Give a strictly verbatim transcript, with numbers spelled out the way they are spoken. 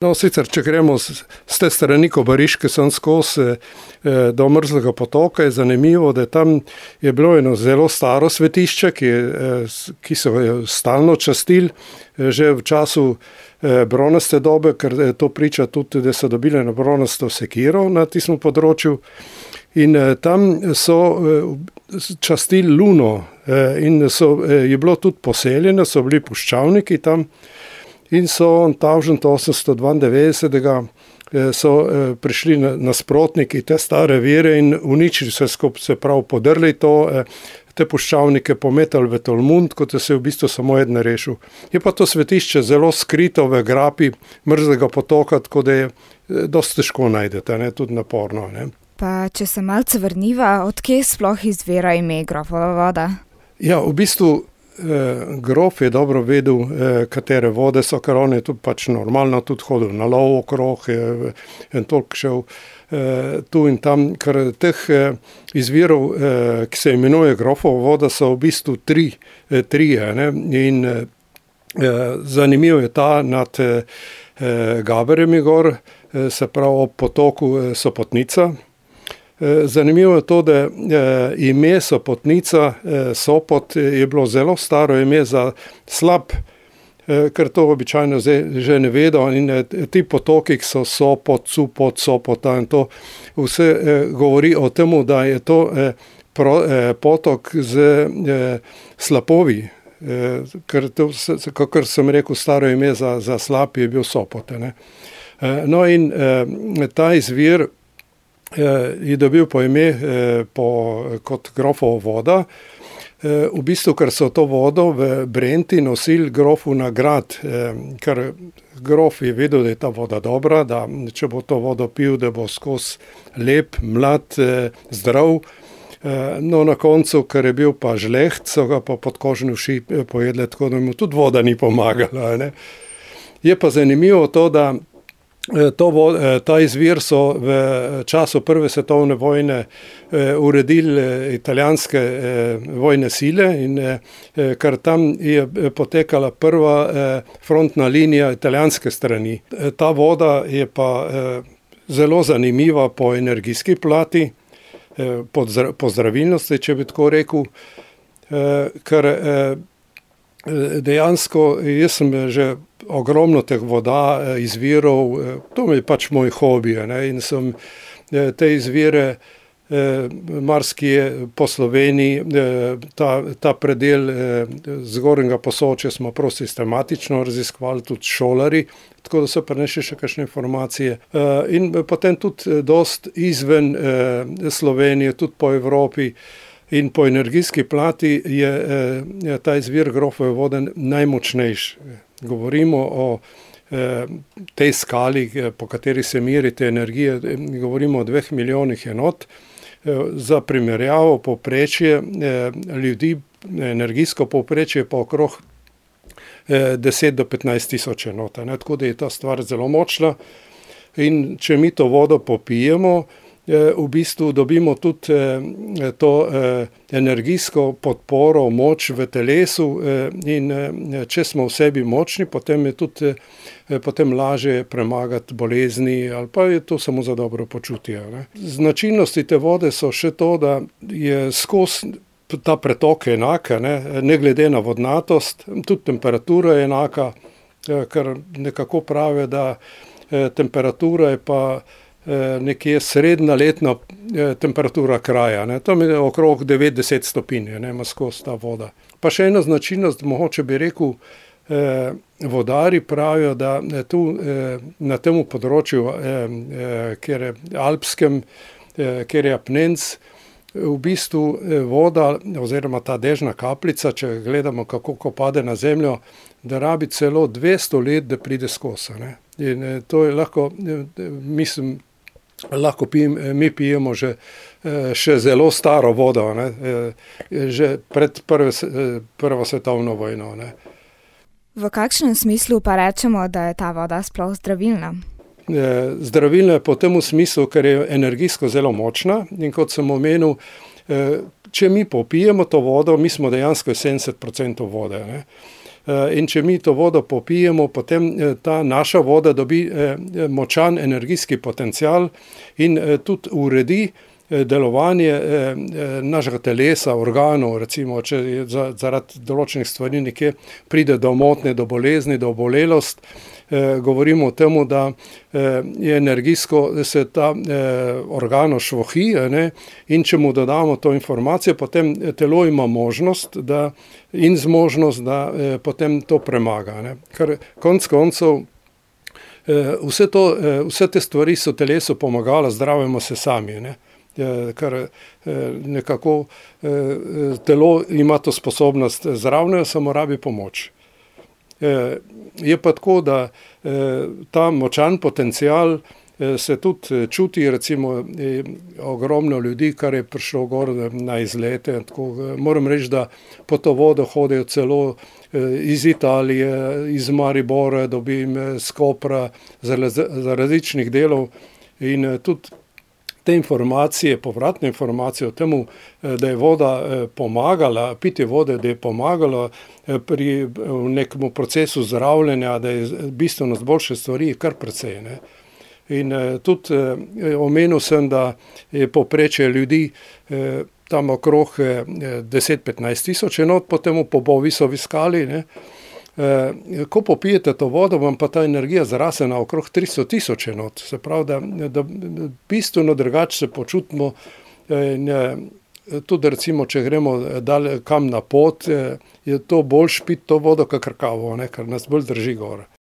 No, sicer, če gremo z, z te strani Kobariške sem skozi eh, do Mrzlega potoka, je zanimivo, da tam je bilo eno zelo staro svetišče, ki, je, eh, ki so jo stalno častili eh, že v času eh, bronaste dobe, ker eh, to priča tudi, da so dobili na bronasto sekiro na tistem področju. In eh, tam so eh, častili luno eh, in so, eh, je bilo tudi poseljeno, so bili puščavniki tam. In so tisoč osemsto dvaindevetdesetega so prišli nasprotniki te stare vere in uničili se skupaj, se prav podrli to, te puščavnike pometali v Tolmund, kot se je v bistvu samo eden rešil. Je pa to svetišče zelo skrito v grapi Mrzlega potoka, tako da je dosti težko najdete, ne, tudi naporno. Ne. Pa če se malce vrniva, odkje sploh izvira ime Grofova voda? Ja, v bistvu grof je dobro vedel, katere vode so, ker on je tudi pač normalno tudi hodil na lov okrog in toliko šel tu in tam, ker teh izvirov, ki se imenuje Grofova voda, so v bistvu tri, trije, ne? In zanimivo je ta nad Gaberjemi gor, se pravi ob potoku Sopotnica. Zanimivo je to, da ime Sopotnica, Sopot je bilo zelo staro ime za slab, ker to običajno že ne vedo in ti potoki so Sopot, Supot, Sopota in to vse govori o tem, da je to potok z slapovi, ker to, kakor sem rekel, staro ime za, za slab je bil Sopot. Ne? No in ta izvir je dobil po ime po, kot Grofova voda, v bistvu, ker so to vodo v Brenti nosili grofu na grad, ker grof je vedel, da je ta voda dobra, da če bo to vodo pil, da bo skozi lep, mlad, zdrav. No, na koncu, ker je bil pa žleht, so ga pa podkožni uši pojedli, tako da mu tudi voda ni pomagala. Ne? Je pa zanimivo to, da To, ta izvir so v času Prve svetovne vojne uredili italijanske vojne sile in ker tam je potekala prva frontna linija italijanske strani. Ta voda je pa zelo zanimiva po energijski plati, po zdravilnosti, če bi tako rekel, ker dejansko jaz sem že ogromno teh voda, izvirov, to je pač moj hobi, ne, in sem te izvire marsikje po Sloveniji, ta, ta predel Zgornjega Posočja smo prav sistematično raziskovali, tudi šolari, tako da so prinesli še kakšne informacije. In potem tudi dost izven Slovenije, tudi po Evropi. In po energijski plati je, je ta izvir Grofove vode najmočnejši. Govorimo o eh, tej skali, po kateri se meri te energije, govorimo o dveh milijonih enot. Eh, za primerjavo povprečje eh, ljudi, energijsko povprečje pa okrog eh, deset do petnajst tisoč enot. Ne? Tako da je ta stvar zelo močna. In če mi to vodo popijemo, v bistvu dobimo tudi to energijsko podporo, moč v telesu in če smo v sebi močni, potem je tudi potem lažje premagati bolezni ali pa je to samo za dobro počutje. Ne? Značilnosti te vode so še to, da je skozi ta pretok enaka, ne? Ne glede na vodnatost, tudi temperatura je enaka, ker nekako pravi, da temperatura je pa nekje srednja letna temperatura kraja. Ne. Tam je okrog devetdeset stopinj, ne, ima skozi ta voda. Pa še ena značilnost, mogoče bi rekel, eh, vodari pravijo, da tu eh, na tem področju, eh, eh, kjer je alpskem, eh, kjer je apnenc, v bistvu voda oziroma ta dežna kapljica, če gledamo, kako ko pade na zemljo, da rabi celo dvesto let, da pride skozi. Ne. In eh, to je lahko, eh, mislim, lahko pijem, mi pijemo že še zelo staro vodo, ne, že pred prve, prvo svetovno vojno. Ne. V kakšnem smislu pa rečemo, da je ta voda sploh zdravilna? Zdravilna je po tem smislu, ker je energijsko zelo močna in kot sem omenil, če mi popijemo to vodo, mi smo dejansko sedemdeset procentov vode. Ne. In če mi to vodo popijemo, potem ta naša voda dobi močan energijski potencial in tudi uredi delovanje našega telesa, organov, recimo, če zaradi določenih stvari nekje pride do motnje, do bolezni, do obolelost, govorimo o tem, da je energijsko se ta organ ošvohi, ne, in če mu dodamo to informacijo, potem telo ima možnost da, in zmožnost, da potem to premaga. Ne. Ker konec koncev vse, to, vse te stvari so telesu pomagala, zdravimo se sami, ne. Ker nekako telo ima to sposobnost zdravljenja, samo rabi pomoč. Je pa tako, da ta močan potencial se tudi čuti, recimo ogromno ljudi, kar je prišlo gor na izlete. Tako, moram reči, da po to vodo hodijo celo iz Italije, iz Maribora, dobim z Kopra, za različnih delov in tudi te informacije, povratne informacije o tem, da je voda pomagala, pitje vode, da je pomagalo pri nekem procesu zdravljenja, da je bistveno boljše stvari, kar precej. Ne. In tudi omenil sem, da je povprečje ljudi tam okrog deset do petnajst tisoč enot, potem po Bovisovi skali, ne. Ko popijete to vodo, vam pa ta energija zraste na okrog tristo tisoč enot. Se pravi, da, da bistveno drugače se počutimo. Tudi recimo, če gremo dal kam na pot, je to boljše piti to vodo kakor kavo, ne, ker nas bolj drži gor.